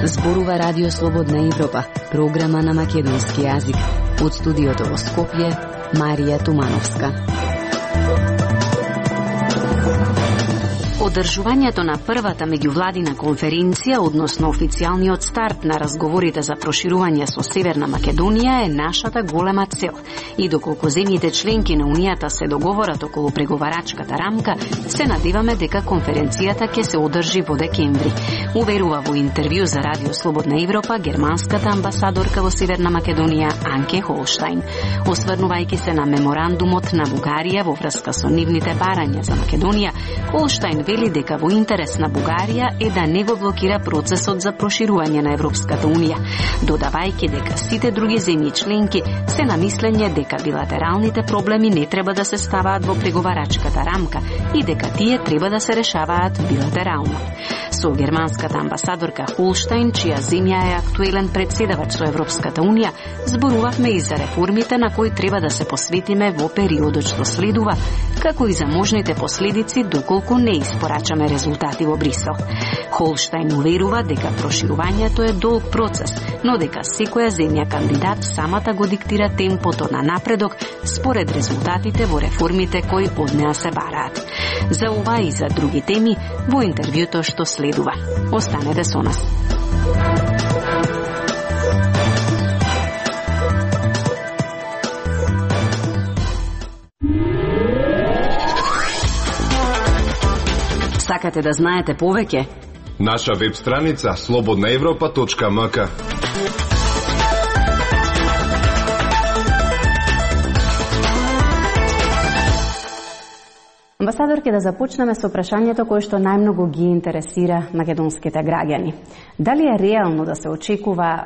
Зборува Радио Слободна Европа, програма на македонски јазик. Од студиото во Скопје, Марија Тумановска. Одржувањето на првата меѓувладина конференција, односно официјалниот старт на разговорите за проширување со Северна Македонија е нашата голема цел. И доколку земјите членки на Унијата се договорат околу преговарачката рамка, се надеваме дека конференцијата ќе се одржи во декември. Уверува во интервју за Радио Слободна Европа германската амбасадорка во Северна Македонија Анке Холштајн. Осврнувајќи се на меморандумот на Бугарија во врска со нивните барања за Македонија, Холштајн вели дека во интерес на Бугарија е да не го блокира процесот за проширување на Европската Унија, додавајќи дека сите други земји членки се на мислење дека билатералните проблеми не треба да се ставаат во преговарачката рамка и дека тие треба да се решаваат билатерално. Со германската амбасадорка Холштајн, чија земја е актуелен председавач со Европската Унија, зборувавме и за реформите на кои треба да се посветиме во периодот што следува, како и за можните последици доколку не испорачаме резултати во Брисел. Холштајн уверува дека проширувањето е долг процес, но дека секоја земја кандидат самата го диктира темпото на напредок според резултатите во реформите кои од неа се бараат. За ова и за други теми во интервјуто што следува. Останете со нас. Сакате да знаете повеќе? Наша веб страница slobodnaevropa.mk. Амбасадорке, да започнеме со прашањето кое што најмногу ги интересира македонските граѓани. Дали е реално да се очекува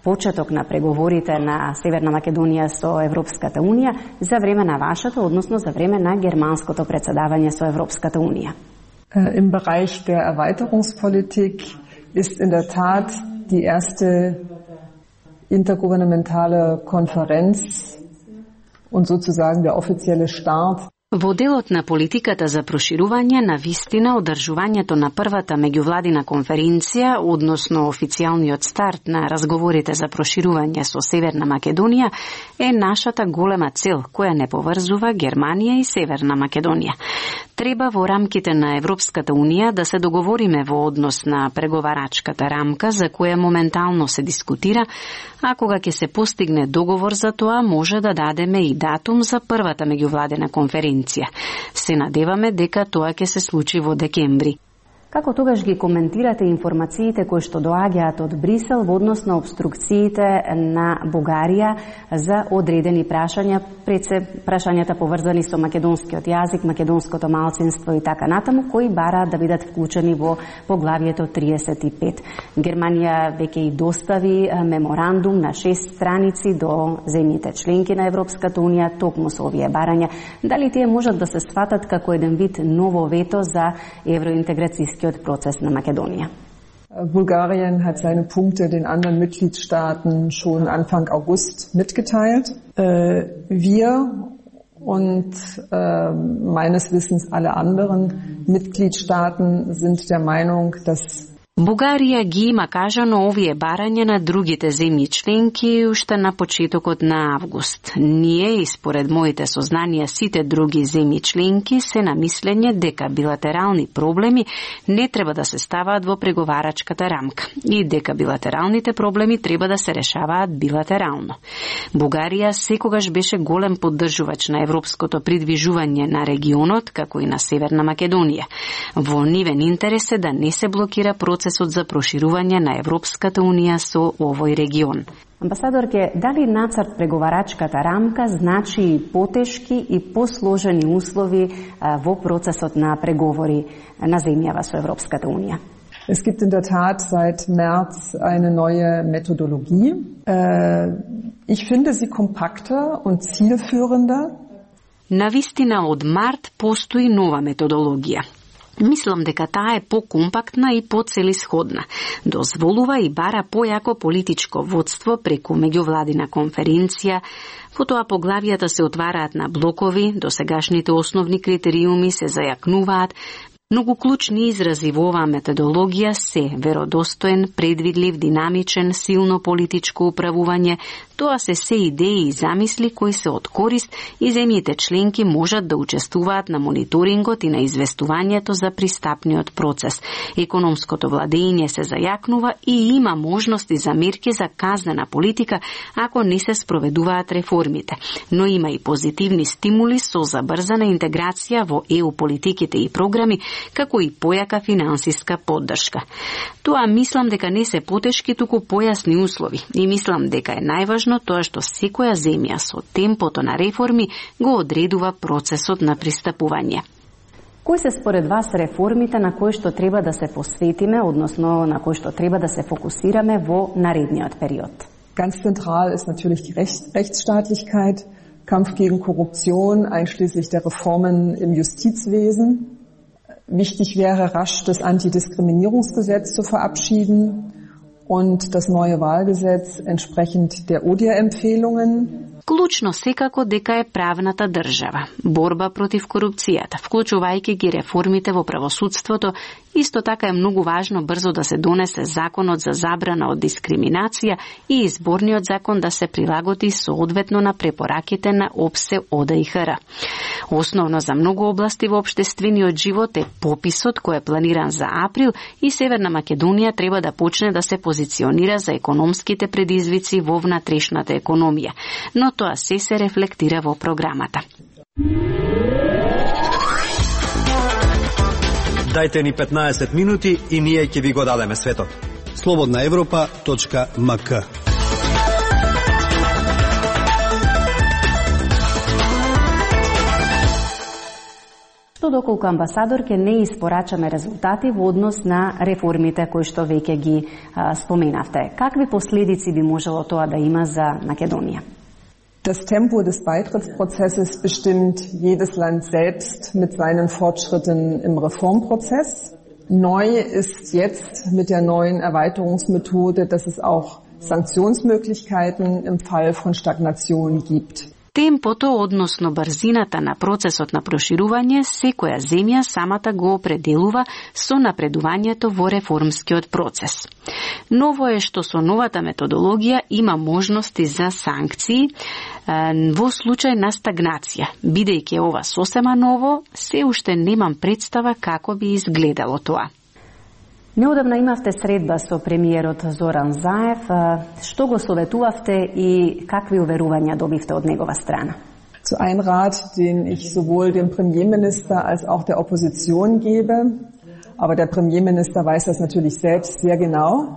почеток на преговорите на Северна Македонија со Европската Унија за време на вашето, односно за време на германското председавање со Европската Унија? Im Bereich der Erweiterungspolitik ist in der Tat die erste intergouvernementale Konferenz und sozusagen der offizielle Start. Во делот на политиката за проширување, на вистина одржувањето на првата меѓувладина конференција, односно официјалниот старт на разговорите за проширување со Северна Македонија, е нашата голема цел, која не поврзува Германија и Северна Македонија. Треба во рамките на Европската Унија да се договориме во однос на преговарачката рамка за која моментално се дискутира, а кога ќе се постигне договор за тоа, може да дадеме и датум за првата меѓувладина конференција. Се надеваме дека тоа ќе се случи во декември. Како тогаш ги коментирате информациите кои што доаѓаат од Брисел во однос на обструкциите на Бугарија за одредени прашања, пред се прашањата поврзани со македонскиот јазик, македонското малцинство и така натаму, кои бараат да бидат вклучени во поглавието 35. Германија веќе и достави меморандум на 6 страници до земјите членки на Европската Унија токму со овие барања. Дали тие можат да се сватат како еден вид ново вето за евроинтеграцијски Prozess na Makedonien. Bulgarien hat seine Punkte den anderen Mitgliedstaaten schon Anfang August mitgeteilt. Wir und meines Wissens alle anderen Mitgliedstaaten sind der Meinung, dass Бугарија ги има кажано овие барања на другите земји членки уште на почетокот на август. Ние, и според моите сознанија, сите други земји членки се на мислење дека билатерални проблеми не треба да се ставаат во преговарачката рамка и дека билатералните проблеми треба да се решаваат билатерално. Бугарија секогаш беше голем поддржувач на европското придвижување на регионот, како и на Северна Македонија. Во нивен интерес е да не се блокира процесот за проширување на Европската Унија со овој регион. Амбасадорке, дали нацрт преговарачката рамка значи и потешки и посложени услови во процесот на преговори на земјава со Европската Унија? Es gibt in der Tat seit März eine neue Methodologie. Ich finde sie kompakter und zielführender. Навистина од март постои нова методологија. Мислам дека таа е покомпактна и поцелисходна. Дозволува и бара појако политичко водство преку меѓувладина конференција. Во тоа поглавијата се отвараат на блокови, досегашните основни критериуми се зајакнуваат. Многу клучни изрази во оваа методологија се веродостоен, предвидлив, динамичен, силно политичко управување. Тоа се идеи и замисли кои се од корист и земјите членки можат да учествуваат на мониторингот и на известувањето за пристапниот процес. Економското владење се зајакнува и има можности за мерки за казнена политика ако не се спроведуваат реформите. Но има и позитивни стимули со забрзана интеграција во ЕУ политиките и програми, како и појака финансиска поддршка. Тоа мислам дека не се потешки, туку појасни услови. И мислам дека е најважно тоа што секоја земја со темпото на реформи го одредува процесот на пристапување. Кои се според вас реформите на кои што треба да се посветиме, односно на кои што треба да се фокусираме во наредниот период? Ganz zentral ist natürlich die Rechtsstaatlichkeit, Kampf gegen Korruption, einschließlich der Reformen im Justizwesen. Wichtig wäre, rasch das Antidiskriminierungsgesetz zu verabschieden und das neue Wahlgesetz entsprechend der ODIHR-Empfehlungen. Клучно секако дека е правната држава, борба против корупцијата, вклучувајќи ги реформите во правосудството. Исто така е многу важно брзо да се донесе законот за забрана од дискриминација и изборниот закон да се прилагоди соодветно на препораките на ОПСЕ ОДИХР. Основно за многу области во општествениот живот е пописот кој е планиран за април и Северна Македонија треба да почне да се позиционира за економските предизвици во внатрешната економија. Но тоа се рефлектира во програмата. Дајте ни 15 минути и ние ќе ви го дадеме светот. slobodnaevropa.mk. Што доколку амбасадор ќе не испорачаме резултати во однос на реформите кои што веќе ги споменавте. Какви последици би можело тоа да има за Македонија? Das Tempo des Beitrittsprozesses bestimmt jedes Land selbst mit seinen Fortschritten im Reformprozess. Neu ist jetzt mit der neuen Erweiterungsmethode, dass es auch Sanktionsmöglichkeiten im Fall von Stagnation gibt. Темпото, односно брзината на процесот на проширување, секоја земја самата го определува со напредувањето во реформскиот процес. Ново е што со новата методологија има можности за санкции во случај на стагнација. Бидејќи ова сосема ново, се уште немам представа како би изгледало тоа. Неодамна имавте средба со премиерот Зоран Заев. Што го советувавте и какви уверувања добивте од негова страна? Zu ein Rat, den ich sowohl dem Premierminister als auch der Opposition gebe, aber der Premierminister weiß das natürlich selbst sehr genau.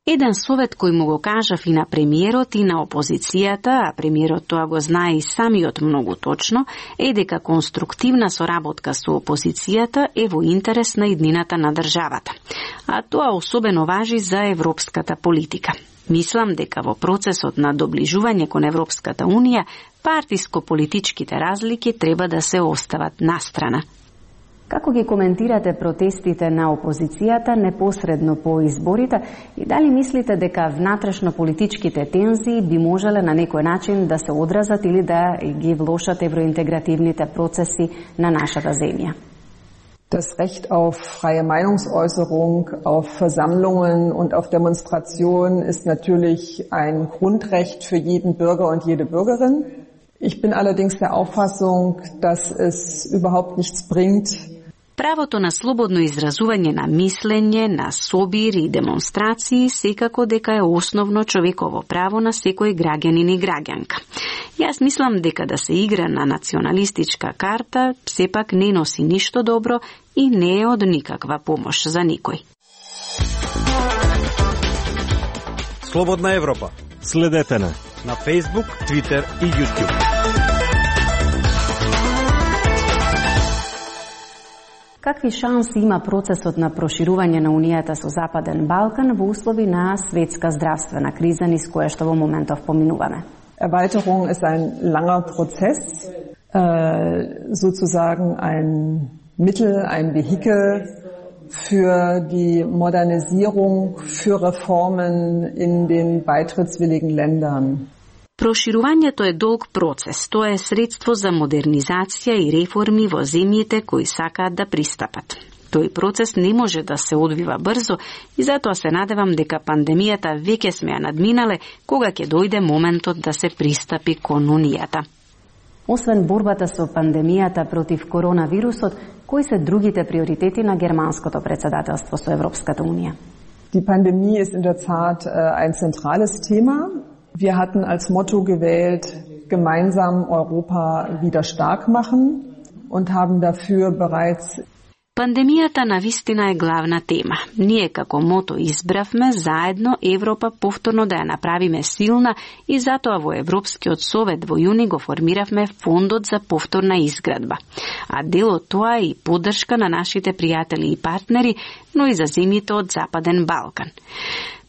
Еден совет кој му го кажав и на премиерот и на опозицијата, а премиерот тоа го знае и самиот многу точно, е дека конструктивна соработка со опозицијата е во интерес на иднината на државата. А тоа особено важи за европската политика. Мислам дека во процесот на доближување кон Европската Унија, партиско-политичките разлики треба да се остават настрана. Како ги коментирате протестите на опозицијата непосредно по изборите и дали мислите дека внатрешно политичките тензии би можеле на некој начин да се одразат или да ги влошат евроинтегративните процеси на нашата земја? Das Recht auf freie Meinungsäußerung, auf Versammlungen und auf Demonstrationen ist natürlich ein Grundrecht für jeden Bürger und jede Bürgerin. Ich bin allerdings der Auffassung, dass es überhaupt nichts bringt. Правото на слободно изразување на мислење, на собир и демонстрации секако дека е основно човеково право на секој граѓанин и граѓанка. Јас мислам дека да се игра на националистичка карта сепак не носи ништо добро и не е од никаква помош за никој. Слободна Европа. Следете на Facebook, Twitter и YouTube. Какви шанси има процесот на проширување на Унијата со Западен Балкан во услови на светска здравствена криза низ која што во моментов поминуваме? Erweiterung ist ein langer Prozess, sozusagen ein Mittel, ein Vehikel für die Modernisierung, für Reformen in den beitrittswilligen Ländern. Проширувањето е долг процес. Тоа е средство за модернизација и реформи во земјите кои сакаат да пристапат. Тој процес не може да се одвива брзо и затоа се надевам дека пандемијата веќе сме ја надминале кога ќе дојде моментот да се пристапи кон унијата. Освен борбата со пандемијата против коронавирусот, кои се другите приоритети на германското председателство со Европската Унија? Die Pandemie ist in der Tat ein zentrales Thema. Wir hatten als Motto gewählt, gemeinsam Europa wieder stark machen und haben dafür bereits Пандемијата навистина е главна тема. Ние како мото избравме заедно Европа повторно да ја направиме силна и затоа во Европскиот совет во јуни го формиравме фондот за повторна изградба. А дел од тоа е и поддршка на нашите пријатели и партнери, но и за земјите од Западен Балкан.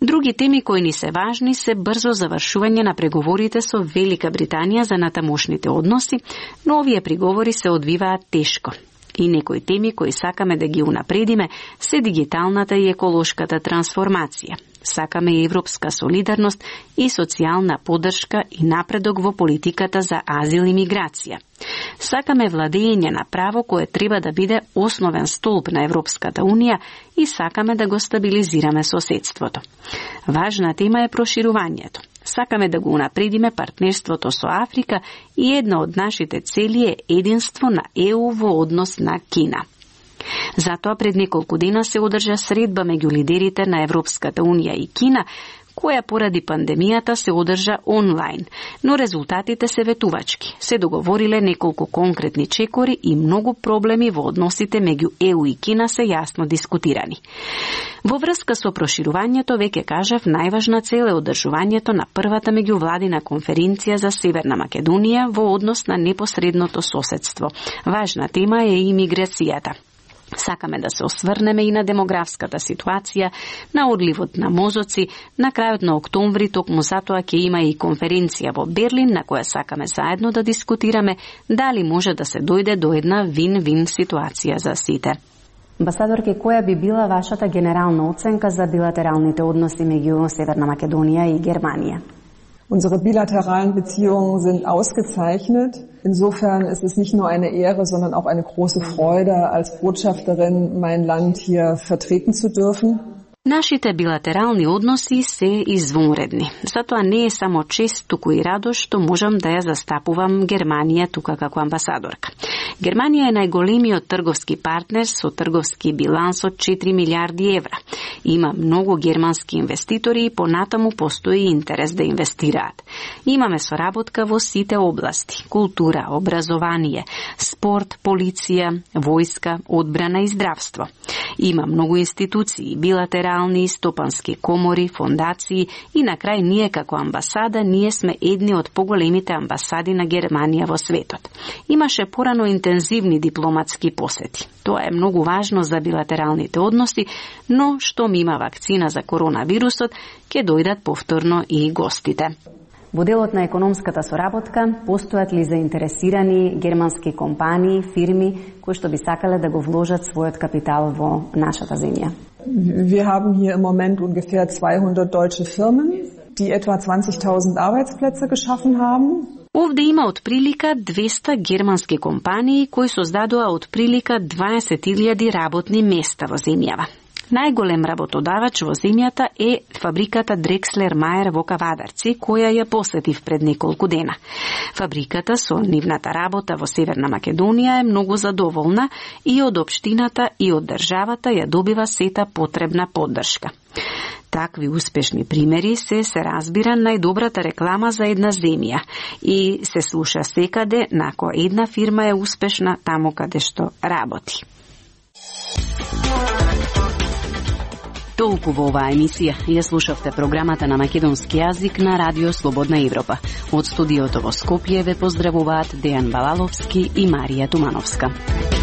Други теми кои ни се важни се брзо завршување на преговорите со Велика Британија за натамошните односи, но овие преговори се одвиваат тешко. И некои теми кои сакаме да ги унапредиме се дигиталната и еколошката трансформација. Сакаме европска солидарност и социјална поддршка и напредок во политиката за азил и миграција. Сакаме владење на право кое треба да биде основен столб на Европската Унија и сакаме да го стабилизираме соседството. Важна тема е проширувањето. Сакаме да го унапредиме партнерството со Африка и една од нашите цели е единство на ЕУ во однос на Кина. Затоа пред неколку дена се одржа средба меѓу лидерите на Европската Унија и Кина, која поради пандемијата се одржа онлайн, но резултатите се ветувачки. Се договориле неколку конкретни чекори и многу проблеми во односите меѓу ЕУ и Кина се јасно дискутирани. Во врска со проширувањето, веќе кажав, најважна цел е одржувањето на првата меѓувладина конференција за Северна Македонија во однос на непосредното соседство. Важна тема е и миграцијата. Сакаме да се осврнеме и на демографската ситуација, на одливот на мозоци. На крајот на октомври токму затоа ќе има и конференција во Берлин на која сакаме заедно да дискутираме дали може да се дојде до една вин-вин ситуација за сите. Амбасадорке, која би била вашата генерална оценка за билатералните односи меѓу Северна Македонија и Германија? Unsere bilateralen Beziehungen sind ausgezeichnet. Insofern ist es nicht nur eine Ehre, sondern auch eine große Freude, als Botschafterin mein Land hier vertreten zu dürfen. Нашите билатерални односи се извонредни. Затоа не е само чест, туку и радост што можам да ја застапувам Германија тука како амбасадорка. Германија е најголемиот трговски партнер со трговски биланс од 4 милиарди евра. Има многу германски инвеститори и понатаму постои интерес да инвестираат. Имаме соработка во сите области: култура, образование, спорт, полиција, војска, одбрана и здравство. Има многу институции, билатерални, стопански комори, фондации и на крај ние како амбасада, ние сме едни од поголемите амбасади на Германија во светот. Имаше порано интензивни дипломатски посети. Тоа е многу важно за билатералните односи, но што има вакцина за коронавирусот, ќе дојдат повторно и гостите. Во делот на економската соработка, постојат ли заинтересирани германски компании, фирми, кои што би сакале да го вложат својот капитал во нашата земја? Wir haben hier im Moment ungefähr 200 deutsche Firmen, die etwa 20.000 Arbeitsplätze geschaffen haben. Овде има отприлика 200 германски компании кои создадоа отприлика 20.000 работни места во земјава. Најголем работодавач во земјата е фабриката Дрекслер Мајер во Кавадарци, која ја посетив пред неколку дена. Фабриката со нивната работа во Северна Македонија е многу задоволна и од општината и од државата ја добива сета потребна поддршка. Такви успешни примери се разбира најдобрата реклама за една земја и се слуша секаде нако една фирма е успешна таму каде што работи. Толку во оваа емисија ја слушавте програмата на македонски јазик на Радио Слободна Европа. Од студиото во Скопје ве поздравуваат Дејан Балаловски и Марија Тумановска.